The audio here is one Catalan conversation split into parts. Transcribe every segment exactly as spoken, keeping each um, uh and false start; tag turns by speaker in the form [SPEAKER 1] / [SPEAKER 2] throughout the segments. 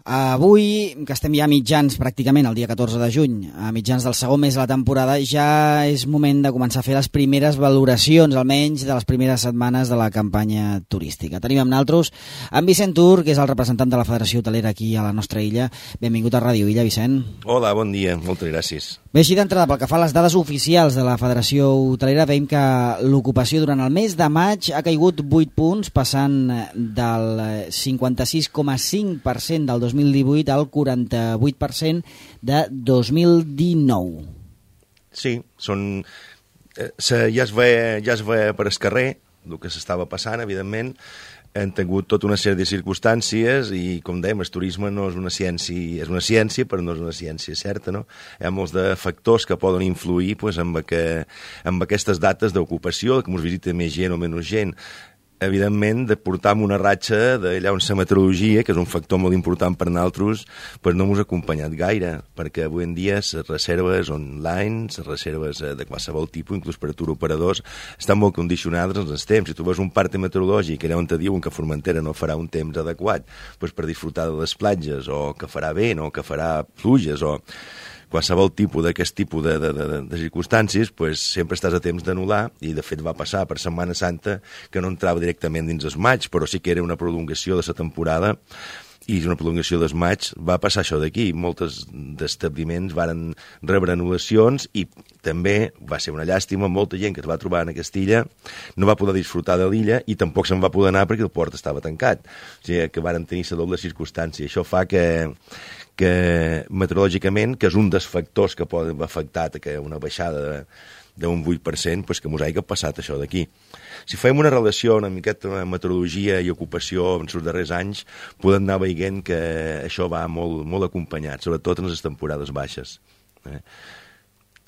[SPEAKER 1] Avui, que estem ja a mitjans, pràcticament, el dia catorze de juny, a mitjans del segon mes de la temporada, ja és moment de començar a fer les primeres valoracions, almenys de les primeres setmanes de la campanya turística. Tenim amb nosaltres en Vicent Tur, que és el representant de la Federació Hotelera aquí a la nostra illa. Benvingut a Ràdio Illa, Vicent.
[SPEAKER 2] Hola, bon dia, moltes gràcies.
[SPEAKER 1] Bé, així d'entrada, pel que fa a les dades oficials de la Federació Hotelera, veiem que l'ocupació durant el mes de maig ha caigut vuit punts, passant del cinquanta-sis coma cinc per cent del dos mil divuit al quaranta-vuit per cent de dos mil dinou.
[SPEAKER 2] Sí, són, eh, ja, es ve, ja es ve per el carrer el que s'estava passant, evidentment. Hem tingut tota una sèrie de circumstàncies i, com dèiem, el turisme no és una ciència, és una ciència, però no és una ciència certa, no? Hi ha molts de factors que poden influir pues, amb, que, amb aquestes dates d'ocupació, que ens visita més gent o menys gent. Evidentment, de portar una ratxa d'allà on la meteorologia, que és un factor molt important per nosaltres, pues no ens ha acompanyat gaire, perquè avui en dia les reserves online, les reserves de qualsevol tipus, inclús per a turoperadors, estan molt condicionades als temps. Si tu veus un part meteorològic allà on te diuen que Formentera no farà un temps adequat pues per disfrutar de les platges, o que farà vent, o que farà pluges, o qualsevol tipus d'aquest tipus de, de, de, de circumstàncies, pues, sempre estàs a temps d'anul·lar, i de fet va passar per Setmana Santa que no entrava directament dins el maig, però sí que era una prolongació de la temporada, i una prolongació del maig va passar això d'aquí. Molts d'establiments varen rebre anul·lacions i també va ser una llàstima, molta gent que es va trobar en aquesta illa no va poder disfrutar de l'illa i tampoc se'n va poder anar perquè el port estava tancat. O sigui que varen tenir la doble circumstància. Això fa que que meteorològicament, que és un dels factors que poden afectar que una baixada d'un vuit per cent, pues que mos hagi passat això d'aquí. Si fem una relació una miqueta amb meteorologia i ocupació en els darrers anys, podem anar veient que això va molt, molt acompanyat, sobretot en les temporades baixes. Eh?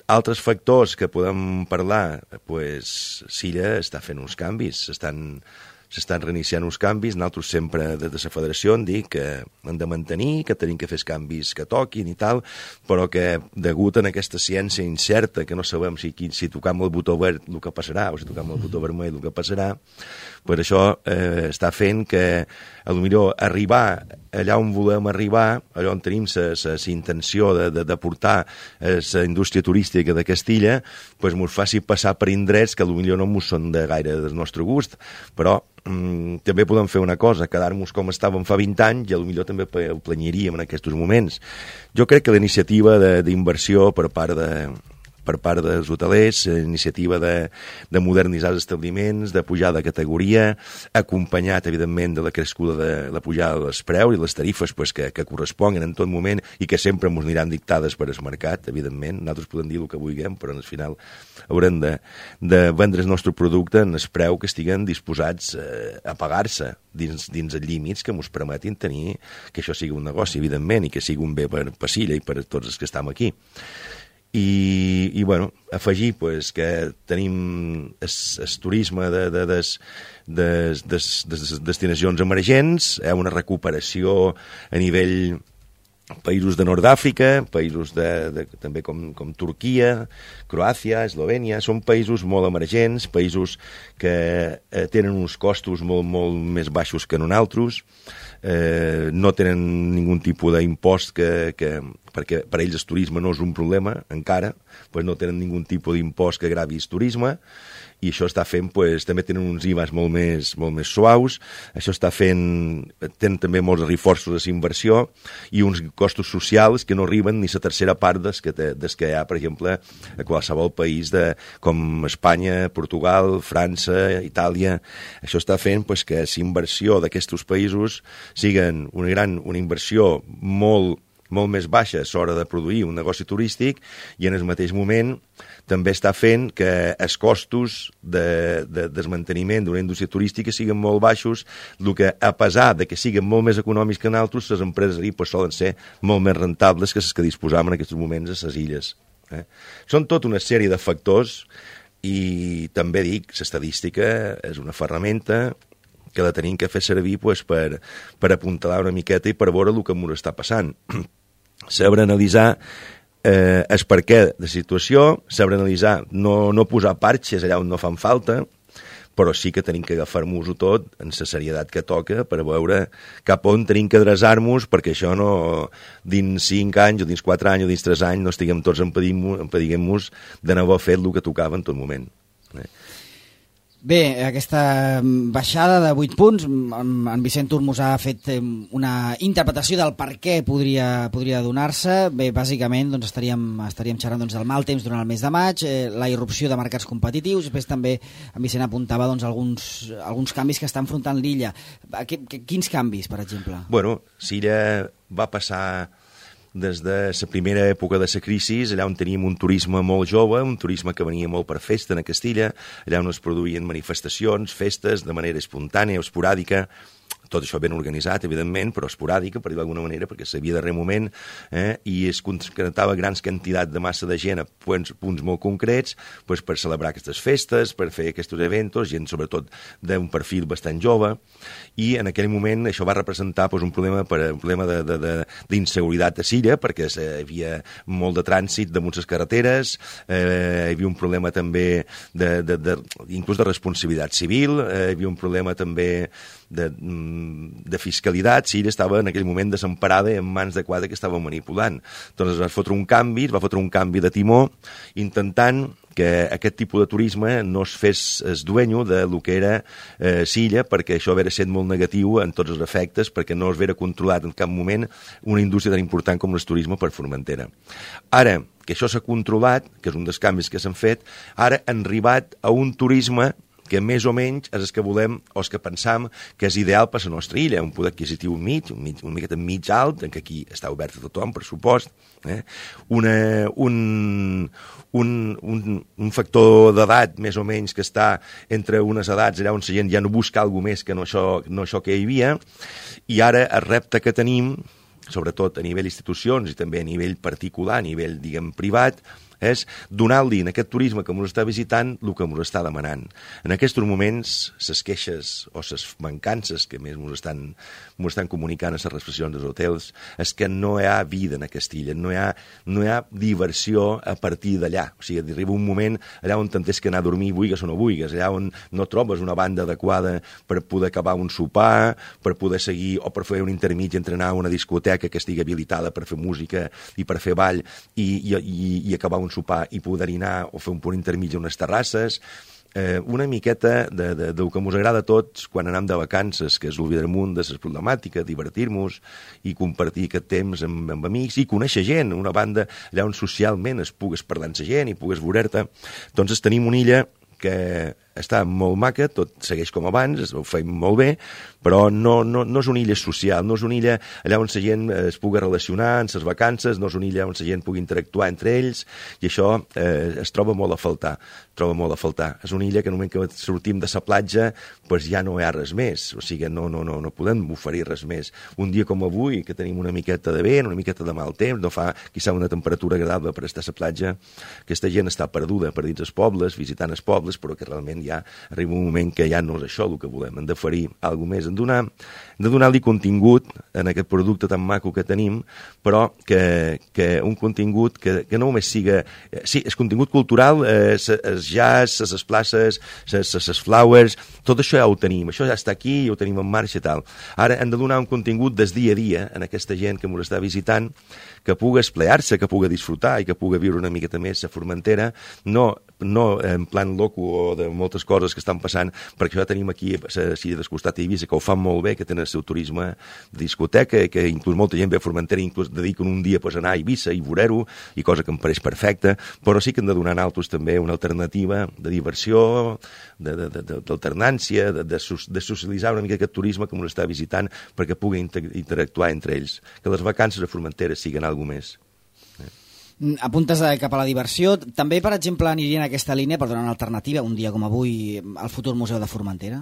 [SPEAKER 2] Altres factors que podem parlar, pues, Silla està fent uns canvis, s'estan s'estan reiniciant uns canvis. Nosaltres sempre des de la federació hem dit que hem de mantenir, que tenim que fer els canvis que toquin i tal, però que degut a aquesta ciència incerta, que no sabem si, si tocam el botó verd el que passarà o si tocam el botó vermell el que passarà, per això eh, està fent que potser arribar allà on volem arribar, allà on tenim la intenció de, de, de portar la indústria turística de Castilla, pues ens faci passar per indrets que potser no ens són de gaire del nostre gust, però mm, també podem fer una cosa, quedar-nos com estàvem fa vint anys i potser també ho planyaríem en aquests moments. Jo crec que la iniciativa d'inversió per part de per part dels hotelers, iniciativa de, de modernitzar els establiments, de pujar de categoria, acompanyat, evidentment, de la crescuda de la pujada dels preus i les tarifes pues, que, que corresponguen en tot moment i que sempre ens aniran dictades per el mercat, evidentment. Nosaltres podem dir el que vulguem, però al final haurem de, de vendre el nostre producte en el preu que estiguen disposats eh, a pagar-se dins, dins els límits que ens permetin tenir que això sigui un negoci, evidentment, i que sigui un bé per Pasilla i per tots els que estem aquí. I, i bueno, afegir pues, que tenim el turisme de, de, de, de, de, de, de destinacions emergents, eh, una recuperació a nivell països de Nord d'Àfrica, països de, de, també com, com Turquia, Croàcia, Eslovènia, són països molt emergents, països que eh, tenen uns costos molt, molt més baixos que nosaltres, eh, no tenen ningun tipus d'impost que, que, perquè per ells el turisme no és un problema encara, pues no tenen ningun tipus d'impost que gravi el turisme, i això està fent, pues, també tenen uns I V As molt més, molt més suaus, això està fent, tenen també molts reforços de inversió i uns costos socials que no arriben ni la tercera part des que, des que hi ha, per exemple, a qualsevol país de, com Espanya, Portugal, França, Itàlia. Això està fent pues, que la inversió d'aquests països siguin una gran, una inversió molt molt més baixa a l'hora de produir un negoci turístic i en el mateix moment també està fent que els costos de, de desmanteniment d'una indústria turística siguin molt baixos, el que a pesar de que siguin molt més econòmics que nosaltres, les empreses ahir pues, solen ser molt més rentables que les que disposam en aquests moments a les illes. Eh? Són tota una sèrie de factors i també dic, l'estadística és una ferramenta que la tenim que fer servir pues, per, per apuntalar una miqueta i per veure el que ens està passant. Saber analitzar eh, el perquè de la situació, saber analitzar, no, no posar parxes allà on no fan falta, però sí que tenim que agafar-nos-ho tot en la serietat que toca per veure cap on tenim que adreçar-nos perquè això no, dins cinc anys o dins quatre anys o dins tres anys no estiguem tots empediguem-nos de no haver fet el que tocava en tot moment. Eh?
[SPEAKER 1] Bé, aquesta baixada de vuit punts, en Vicent Turmos ha fet una interpretació del per què podria, podria donar-se. Bé, bàsicament doncs, estaríem, estaríem xerrant doncs, del mal temps durant el mes de maig, eh, la irrupció de mercats competitius, després també en Vicent apuntava doncs, alguns, alguns canvis que està enfrontant l'illa. Quins canvis, per exemple?
[SPEAKER 2] Bueno, Silla va passar des de la primera època de la crisi, allà on teníem un turisme molt jove, un turisme que venia molt per festa a Castilla, allà on es produïen manifestacions, festes, de manera espontània o esporàdica, tot això ben organitzat, evidentment, però esporàdica, per dir d'alguna manera, perquè s'havia de darrer moment, eh, i es concretava grans quantitats de massa de gent a punts, punts molt concrets pues, per celebrar aquestes festes, per fer aquests eventos, gent sobretot d'un perfil bastant jove, i en aquell moment això va representar pues, un problema, per, un problema d'inseguretat a Silla, perquè hi havia molt de trànsit damunt les carreteres, eh, hi havia un problema també de, de, de, inclús de responsabilitat civil, eh, hi havia un problema també de, de fiscalitat. Silla estava en aquell moment desemparada en mans de quatre que estaven manipulant. Doncs es va fotre un canvi, es va fotre un canvi de timó, intentant que aquest tipus de turisme no es fes es duenyo de lo que era eh, Silla, perquè això hauria estat molt negatiu en tots els efectes, perquè no es vera controlat en cap moment una indústria tan important com el turisme per Formentera. Ara que això s'ha controlat, que és un dels canvis que s'han fet, ara han arribat a un turisme que més o menys és el que volem o el que pensam que és ideal per a la nostra illa, un poder adquisitiu mig, un, mig, un miqueta mig alt, en què aquí està obert a tothom, per supost, eh? Una, un, un, un, un factor d'edat més o menys que està entre unes edats allà on la gent ja no busca alguna més que no això, no això que hi havia, i ara el repte que tenim, sobretot a nivell institucions i també a nivell particular, a nivell, diguem, privat, és donar-li en aquest turisme que ens està visitant el que ens està demanant. En aquests moments, les queixes o les mancances que més ens estan, estan comunicant a les recepcions dels hotels és que no hi ha vida en aquesta illa, no hi ha, no hi ha diversió a partir d'allà. O sigui, arriba un moment allà on t'entens que anar a dormir vulguis o no vulguis, allà on no trobes una banda adequada per poder acabar un sopar, per poder seguir o per fer un intermig entre anar a una discoteca que estigui habilitada per fer música i per fer ball i, i, i, i acabar un un sopar i poder anar o fer un punt intermig a unes terrasses, eh, una miqueta de, de, del que ens agrada a tots quan anem de vacances, que és l'oblidar damunt de les problemàtiques, divertir-nos i compartir aquest temps amb, amb amics i conèixer gent, una banda allà on socialment es pugues parlar amb la gent i pugues veure-te. Doncs tenim una illa que està molt maca, tot segueix com abans, ho fem molt bé, però no, no, no és una illa social, no és una illa allà on la gent es pugui relacionar en les vacances, no és una illa on la gent pugui interactuar entre ells, i això eh, es troba molt a faltar, troba molt a faltar. És una illa que en el moment que sortim de la platja pues ja no hi ha res més, o sigui, no, no, no, no podem oferir res més. Un dia com avui, que tenim una miqueta de vent, una miqueta de mal temps, no fa quizà una temperatura agradable per estar a la platja, aquesta gent està perduda per dins els pobles, visitant els pobles, però que realment ja arriba un moment que ja no és això el que volem, hem d'oferir alguna més, hem donar, de donar-li contingut en aquest producte tan maco que tenim, però que, que un contingut que, que no només siga... Eh, sí, és contingut cultural, eh, el jazz, les places, les flowers, tot això ja ho tenim, això ja està aquí, ja ho tenim en marxa i tal. Ara hem de donar un contingut des dia a dia en aquesta gent que ens està visitant, que pugui esplear-se, que pugui disfrutar i que pugui viure una miqueta més a Formentera, no, no en plan loco o de moltes coses que estan passant, perquè ja tenim aquí a la Silla del Costat a Eivissa, que ho fan molt bé, que tenen el seu turisme de discoteca, que inclús molta gent ve a Formentera i inclús dediquen un dia pues, a anar a Eivissa i veure-ho, i cosa que em pareix perfecta, però sí que hem de donar a altres també una alternativa de diversió, d'alternància, de, de, de, de, de socialitzar una mica aquest turisme que ens està visitant perquè pugui inter interactuar entre ells, que les vacances a Formentera siguin alguna més.
[SPEAKER 1] Apuntes cap a la diversió. També, per exemple, anirien a aquesta línia per donar una alternativa, un dia com avui, al futur Museu de Formentera?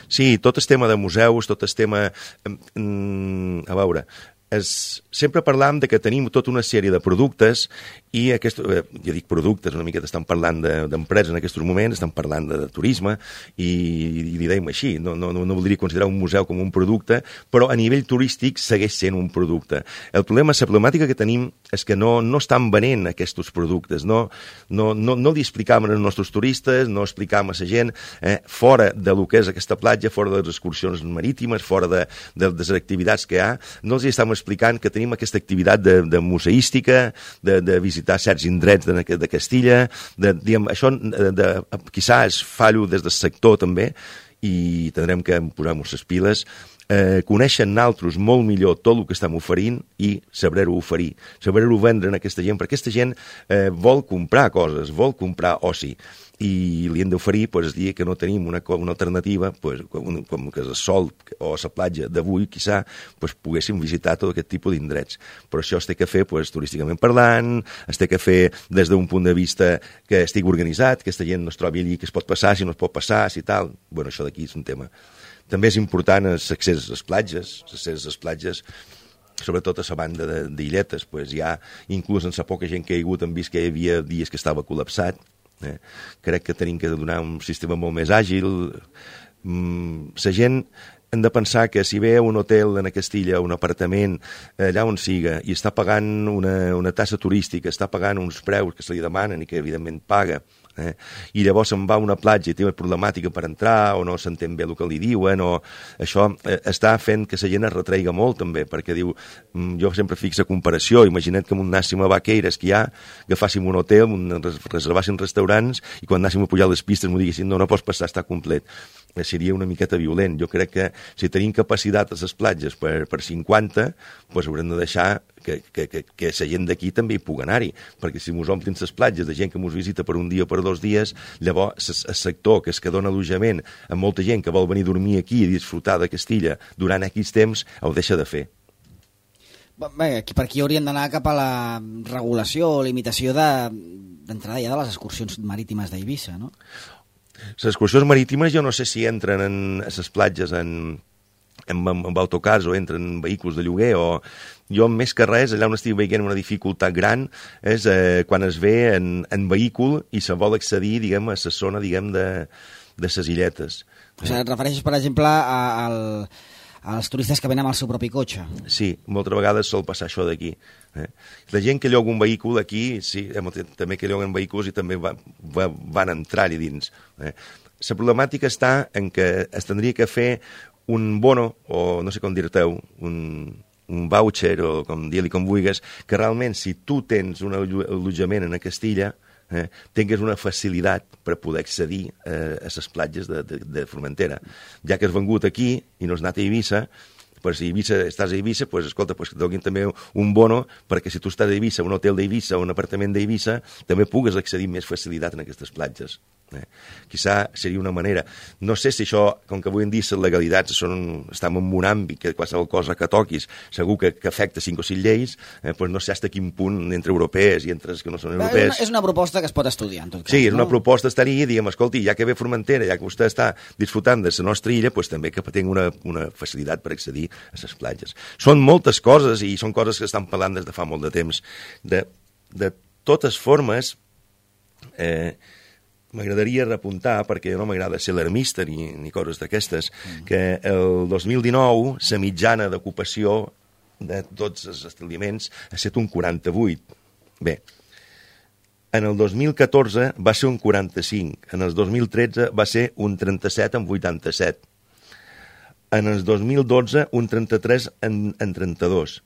[SPEAKER 2] Sí, tot el tema de museus, tot el tema... A veure, és, sempre parlam de que tenim tota una sèrie de productes i aquest, eh, ja dic productes, una mica estan parlant d'empreses de, en aquests moments, estan parlant de, de turisme i, i li deim així, no, no, no voldria considerar un museu com un producte, però a nivell turístic segueix sent un producte. El problema, la problemàtica que tenim és que no, no estan venent aquests productes, no, no, no, no li explicam als nostres turistes, no explicam a la gent eh, fora de lo que és aquesta platja, fora de les excursions marítimes, fora de, de, de les activitats que hi ha, no els estem explicant que tenim aquesta activitat de, de museística, de, de visitar certs indrets de, de Castilla, de, diguem, això de, de, quizás fallo des del sector també, i tindrem que posar-nos les piles, eh, coneixen naltros molt millor tot el que estem oferint i saber-ho oferir, saber-ho vendre a aquesta gent, perquè aquesta gent eh, vol comprar coses, vol comprar oci, i li hem d'oferir, pues, dir que no tenim una, una alternativa, pues, com, com que el sol o la platja d'avui, quizà, pues, poguéssim visitar tot aquest tipus d'indrets. Però això es té que fer, pues, turísticament parlant, es té que fer des d'un punt de vista que estigui organitzat, que aquesta gent no es trobi allí, que es pot passar, si no es pot passar, si tal. Bueno, això d'aquí és un tema. També és important l'accés a les platges, l'accés a les platges, sobretot a la banda d'illetes, pues, hi ha, inclús en la poca gent que hi ha hagut, hem vist que hi havia dies que estava col·lapsat. Eh? Crec que tenim que donar un sistema molt més àgil. Mm, la gent hem de pensar que si ve a un hotel en Castilla, un apartament, allà on siga, i està pagant una, una tassa turística, està pagant uns preus que se li demanen i que evidentment paga, eh? I llavors se'n va a una platja i té una problemàtica per entrar o no s'entén bé el que li diuen, o això eh, està fent que la gent es retreiga molt també, perquè diu, mm, jo sempre fixa comparació, imagina't que anàssim a Vaqueires, que hi ha, agafàssim un hotel, un, reservàssim restaurants i quan anàssim a pujar les pistes m'ho diguessin, no, no pots passar, està complet. Eh, seria una miqueta violent. Jo crec que si tenim capacitat a les platges per, per cinquanta, doncs haurem de deixar que, que, que, que la gent d'aquí també hi pugui anar-hi, perquè si mos omplin les platges de gent que mos visita per un dia o per dos dies, llavors el sector que es que dona allotjament a molta gent que vol venir a dormir aquí i disfrutar de Castilla durant aquells temps, ho deixa de fer.
[SPEAKER 1] Bé, per aquí haurien d'anar cap a la regulació o limitació d'entrada de, ja de les excursions marítimes d'Eivissa, no?
[SPEAKER 2] Les excursions marítimes jo no sé si entren en, a les platges en, en, en autocars o entren en vehicles de lloguer, o jo més que res, allà on estic veient una dificultat gran és eh, quan es ve en, en vehicle i se vol accedir, diguem, a la zona, diguem, de, de les illetes.
[SPEAKER 1] O sigui, et refereixes, per exemple, a, al, als turistes que venen amb el seu propi cotxe?
[SPEAKER 2] Sí, moltes vegades sol passar això d'aquí. Eh? La gent que lloga un vehicle aquí, sí, també que lloguen vehicles i també va, va, van entrar-hi dins. Eh? La problemàtica està en que es tindria que fer un bono, o no sé com dir-te-ho, un, un voucher, o com dir-li com vulguis, que realment si tu tens un allotjament en Castilla, eh, tingues una facilitat per poder accedir eh, a les platges de, de, de Formentera. Ja que has vengut aquí i no has anat a Eivissa, pues si Eivissa, estàs a Eivissa, pues, escolta, pues, que et donin també un bono perquè si tu estàs a Eivissa, un hotel d'Eivissa o un apartament d'Eivissa, també pugues accedir amb més facilitat en aquestes platges. Eh? Quizà seria una manera. No sé si això, com que avui en dia les legalitats són, estem en un àmbit que qualsevol cosa que toquis segur que, que afecta cinc o sis lleis, eh, pues no sé fins a quin punt entre europees i entre els que no són europees.
[SPEAKER 1] És una, és una proposta que es pot estudiar, en tot cas.
[SPEAKER 2] Sí, és
[SPEAKER 1] no?
[SPEAKER 2] una proposta estar allà i diguem, escolti, ja que ve Formentera, ja que vostè està disfrutant de la nostra illa, pues també que tingui una, una facilitat per accedir a les platges. Són moltes coses i són coses que estan parlant des de fa molt de temps. De, de totes formes, eh, m'agradaria repuntar, perquè no m'agrada ser alarmista ni, ni coses d'aquestes, mm. que el dos mil dinou la mitjana d'ocupació de tots els establiments ha estat un quaranta-vuit. Bé, en el dos mil catorze va ser un quaranta-cinc, en el dos mil tretze va ser un trenta-set en vuitanta-set, en el dos mil dotze un trenta-tres en, en trenta-dos,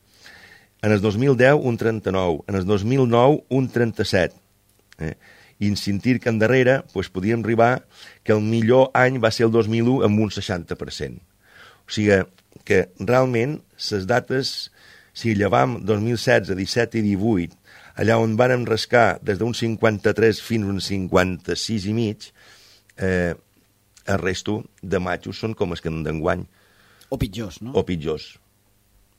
[SPEAKER 2] en el dos mil deu un trenta-nou, en el dos mil nou un trenta-set. Eh? I en sentir que endarrere pues, podíem arribar que el millor any va ser el dos mil u amb un seixanta per cent. O sigui que realment les dates, si llevam dos mil setze, disset i divuit, allà on vàrem rascar des d'un cinquanta-tres fins a un cinquanta-sis i mig, eh, el resto de matxos són com els que d'enguany.
[SPEAKER 1] O pitjors, no?
[SPEAKER 2] O pitjors.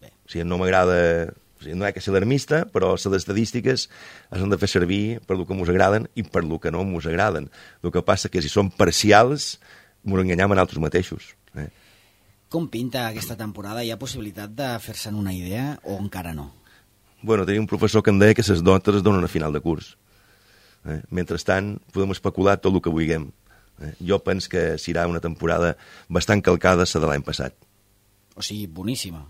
[SPEAKER 2] Bé. O sigui, no m'agrada... O sigui, no hi ha que ser alarmista, però les estadístiques es han de fer servir per el que ens agraden i per el que no ens agraden. El que passa que si són parcials, ens enganyem en altres mateixos. Eh?
[SPEAKER 1] Com pinta aquesta temporada? Hi ha possibilitat de fer-se'n una idea o encara no?
[SPEAKER 2] Bueno, tenia un professor que em deia que les notes es donen a final de curs. Eh? Mentrestant, podem especular tot el que vulguem. Eh? Jo penso que serà una temporada bastant calcada la de l'any passat.
[SPEAKER 1] O sigui, boníssima.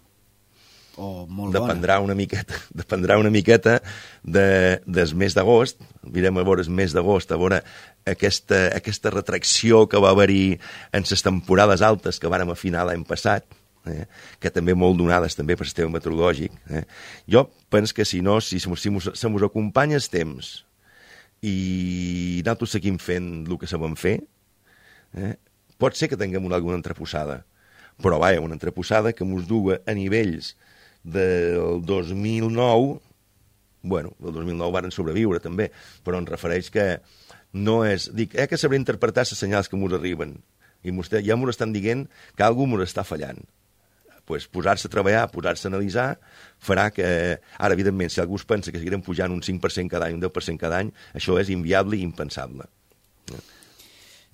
[SPEAKER 1] O molt
[SPEAKER 2] dependrà
[SPEAKER 1] bona.
[SPEAKER 2] Una miqueta, dependrà una miqueta de, del mes d'agost. Mirem a veure el mes d'agost, a veure aquesta, aquesta retracció que va haver-hi en les temporades altes que vàrem afinar l'any passat, eh? que també molt donades també per sistema meteorològic. Eh? Jo penso que si no, si se mos acompanya el temps i nosaltres seguim fent el que sabem fer, eh? pot ser que tinguem una, alguna entreposada, però vaja, una entreposada que mos duga a nivells del dos mil nou, bueno, el dos mil nou varen sobreviure també, però em refereix que no és... Dic, eh, que sabré interpretar les senyals que mos arriben, i mos, ja mos estan dient que algú mos està fallant. Pues posar-se a treballar, posar-se a analitzar, farà que... Ara, evidentment, si algú es pensa que seguirem pujant un cinc per cent cada any, un deu per cent cada any, això és inviable i impensable.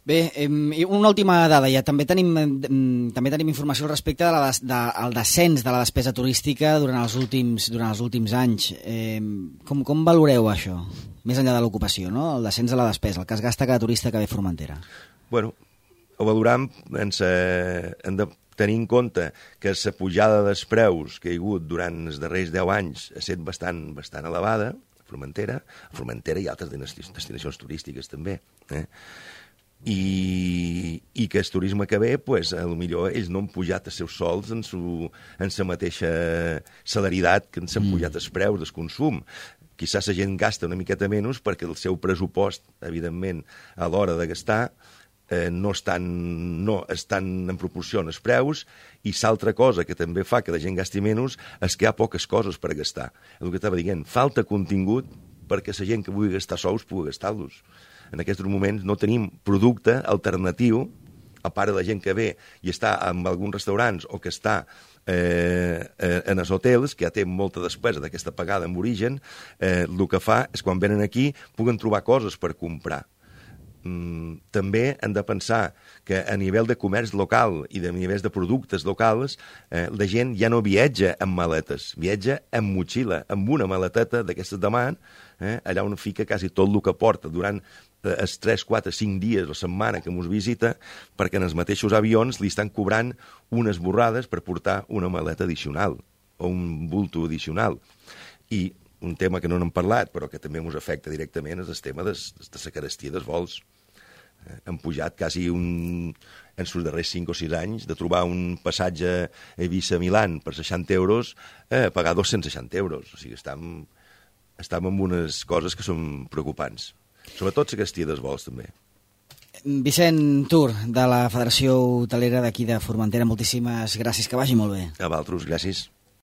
[SPEAKER 1] Bé, eh, una última dada ja. També tenim, eh, també tenim informació respecte al de, de, de, descens de la despesa turística durant els últims, durant els últims anys. Eh, com, com valoreu això? Més enllà de l'ocupació, no? El descens de la despesa, el que es gasta cada turista que ve a Formentera.
[SPEAKER 2] Bueno, ho valoram, ens, eh, hem de tenir en compte que la pujada dels preus que hi ha hagut durant els darrers deu anys ha estat bastant, bastant elevada a Formentera, a Formentera i altres destinacions turístiques també, eh? I, i que el turisme que ve, pues, a lo millor ells no han pujat els seus sols en, su, en la mateixa celeritat que s'han mm. pujat els preus del consum. Quizás la gent gasta una miqueta menys perquè el seu pressupost, evidentment, a l'hora de gastar, eh, no, estan, no estan en proporció als preus, i l'altra cosa que també fa que la gent gasti menys és que hi ha poques coses per gastar. El que estava dient, falta contingut perquè la gent que vulgui gastar sous pugui gastar-los. En aquests moments no tenim producte alternatiu, a part de la gent que ve i està en alguns restaurants o que està eh, en els hotels, que ja té molta despesa d'aquesta pagada en origen, eh, el que fa és quan venen aquí puguen trobar coses per comprar. Mm, també hem de pensar que a nivell de comerç local i de nivells de productes locals eh, la gent ja no viatja amb maletes, viatja amb motxilla, amb una maleteta d'aquestes de mà, eh, allà on fica quasi tot el que porta durant eh, els tres, quatre, cinc dies o setmana que mos visita, perquè en els mateixos avions li estan cobrant unes borrades per portar una maleta addicional o un bulto addicional. I un tema que no n'hem parlat, però que també ens afecta directament, és el tema de la carestia dels vols. Eh, han pujat quasi un, en els darrers cinc o sis anys, de trobar un passatge a Eivissa-Milan per seixanta euros, eh, a pagar dos-cents seixanta euros. O sigui, estem, estem amb unes coses que són preocupants. Sobretot la carestia dels vols, també.
[SPEAKER 1] Vicent Tur, de la Federació Hotelera d'aquí de Formentera, moltíssimes gràcies, que vagi molt bé.
[SPEAKER 2] A vosaltres, gràcies.